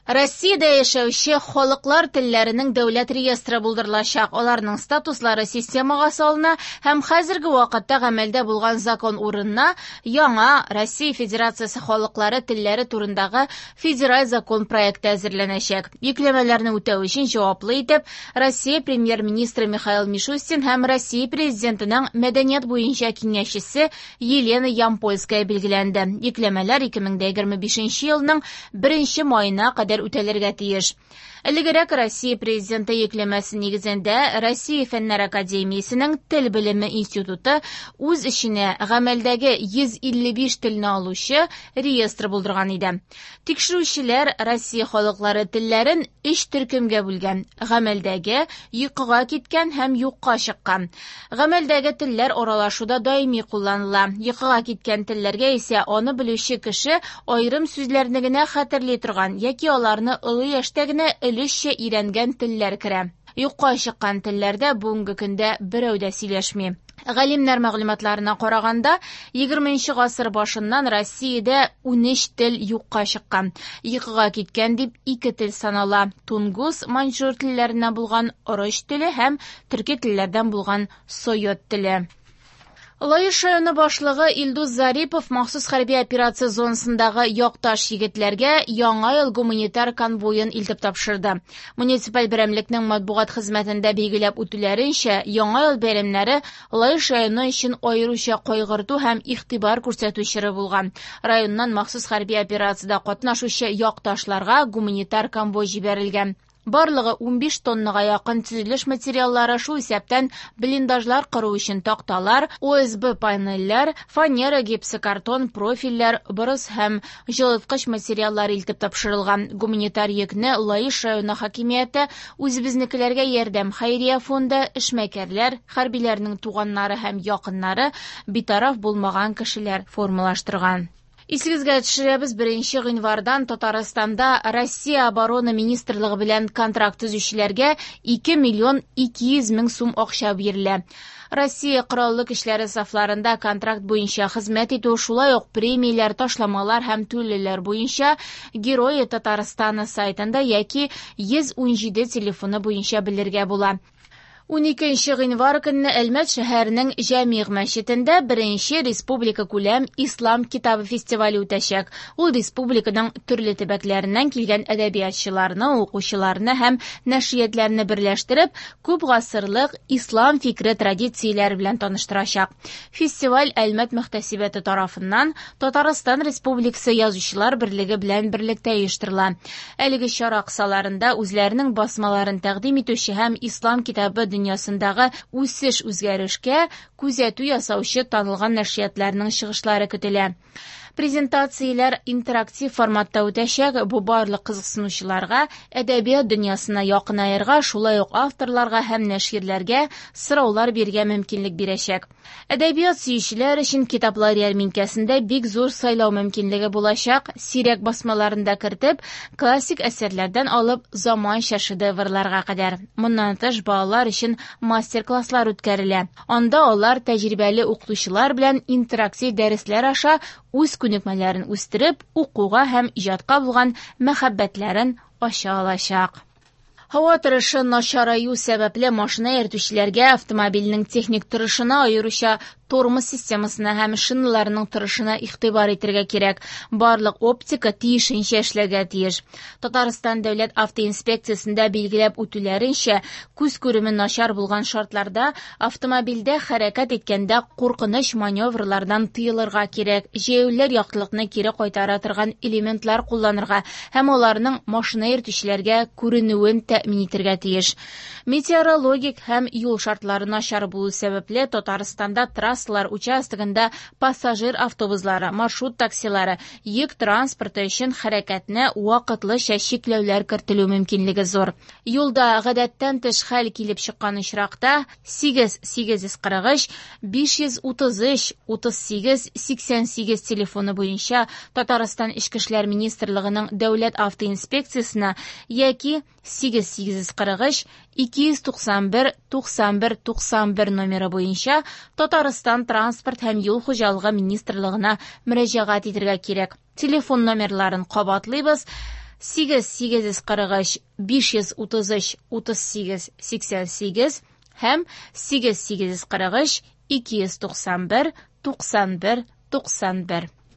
Россиядә яшәүче халыклар телләренең дәүләт реестры булдырылачак. Аларның статуслары системага салына һәм хәзерге вакытта гамәлдә булган закон урынына яңа Россия Федерациясе халыклары телләре турындагы федераль закон проекты әзерләнәчәк. Йөкләмәләрне үтәү өчен җаваплы итеп Россия премьер-министры Михаил Мишустин һәм Россия президентының мәдәният буенча киңәшчесе Елена Ямпольская билгеләнде. Йөкләмәләр 2025 елның 1 маена кадәр үтәлергә тиеш. Элегрәк Россия президенты йөкләмәсе нигезендә Россия Фәннәр академиясенең Тел белеме институты үз эченә гамәлдәге 155 телне алучы реестр булдырган иде. Тикшерүчеләр Россия халыклары телләрен өч төркемгә бүлгән: гамәлдәге, йокыга киткән һәм юкка чыккан. Гамәлдәге телләр аралашуда даими кулланыла. Йокыга киткән телләргә исә аны белүче кеше аерым сүзләрне генә хәтерли торган яки аларны олы яшьтә генә өлешчә өйрәнгән телләр керә. Юкка чыккан телләрдә бүгенге көндә берәү дә сөйләшми. Галимнәр мәгълүматларына караганда, 20 гасыр башыннан Россиядә 13 тел юкка чыккан. Йокыга киткән дип ике тел санала: тунгус, маньчжур телләреннән булган ороч теле һәм төрки телләрдән булган сойот теле. Лаеш районы башлыгы Илдус Зарипов махсус хәрби операция зонасындагы якташ егетләргә Яңа ел гуманитар конвоен илтеп тапшырды. Муниципаль берәмлекнең матбугат хезмәтендә билгеләп үтүләренчә, Яңа ел бәйрәмнәре Лаеш районы өчен аеруча кайгырту һәм игътибар күрсәтү чоры булган. Районнан махсус хәрби операциядә катнашучы якташларга гуманитар конвой җибәрелгән. Барлыгы 15 тоннага якын төзелеш материаллары, шул исәптән блиндажлар кору өчен такталар, ОСБ панельләр, фанера, гипсокартон, профильләр, борыс һәм җылыткыч материаллар илтеп тапшырылган. Гуманитар йөкне Лаеш районы хакимияте, үзебезнекеләргә ярдәм хәйрия фонды, эшмәкәрләр, хәрбиләрнең туганнары һәм якыннары, битараф булмаган кешеләр формалаштырган. Исегезгә төшерәбез, 1 гыйнвардан Татарстанда Россия Оборона министрлыгы белән контракт төзүчеләргә 2 миллион 200 мең сум акча бирелә. Россия Кораллы көчләре сафларында контракт буенча хезмәт итү, шулай ук премияләр, ташламалар һәм түләүләр буенча Герои Татарстана сайтында яки 117 телефоны буенча белергә була. 12 гыйнвар көнне Әлмәт шәһәренең Җәмигъ мәчетендә беренче республика күләм Ислам китабы фестивале үтәчәк. Ул республиканың төрле төбәкләреннән килгән әдәбиятчыларны, укучыларны һәм нәшриятләрне берләштереп, күп гасырлык ислам фикре традицияләре белән таныштырачак. Фестиваль Әлмәт мөхтәсибәте тарафыннан Татарстан Республикасы Язучылар берлеге белән берлектә оештырыла. Әлеге чара кысаларында үзләренең басмаларын тәкъдим итүче һәм ислам китабы дөньясындагы үсеш-үзгәрешкә күзәтү ясаучы танылган нәшриятларның чыгышлары көтелә. Презентацияләр интерактив форматта үтәчәк. Бу барлык кызыксынучыларга әдәбият дөньясына якынаерга, шулай ук авторларга һәм нәширләргә сораулар бирергә мөмкинлек бирәчәк. Әдәбият сөючеләр өчен китаплар ярминкәсендә бик зур сайлау мөмкинлеге булачак. Сирәк басмаларында кертеп, классик әсәрләрдән алып заманча шедеврларга кадәр. Моннан тыш балалар өчен мастер-класслар үткәрелә. Анда алар тәҗрибәле укытучылар белән интерактив дәресләр аша үз күнекмәләрен үстереп, укуга һәм иҗатка булган мәхәббәтләрен ача алачак. Һава торышы начараю сәбәпле машина йөртүчеләргә автомобильнең техник торышына, аеруча тормоз системасына һәм шиналарының торышына игътибар итәргә кирәк. Барлык оптика тиешенчә эшләргә тиеш. Татарстан дәүләт автоинспекциясендә билгеләп үтүләренчә, күз күреме начар булган шартларда автомобильдә хәрәкәт иткәндә куркыныч маневрлардан тыелырга кирәк. Җәяүлеләр яктылыкны кире кайтара торган элементлар кулланырга һәм аларның машина йөртүчеләргә күренүен тәэмин итәргә тиеш. Метеорологик һәм юл шартлары начар булу сәбәпле Татарстанда трассалар участогында пассажир автобуслары, маршрут таксилары, йөк транспорты өчен хәрәкәтне вакытлыча чикләүләр кертелү мөмкинлеге зур. Юлда гадәттән тыш хәл килеп чыккан очракта 8 843 533 38 88 телефоны буенча Татарстан Эчке эшләр министрлыгының дәүләт автоинспекциясенә яки 8 843 291 91 91 номеры буенча Татарстан транспорт һәм юл хуҗалыгы министрлыгына мөрәҗәгать итәргә кирәк. Телефон номерларын кабатлыйбыз: 8 843 533 38 88 һәм 8 843 291 91 91.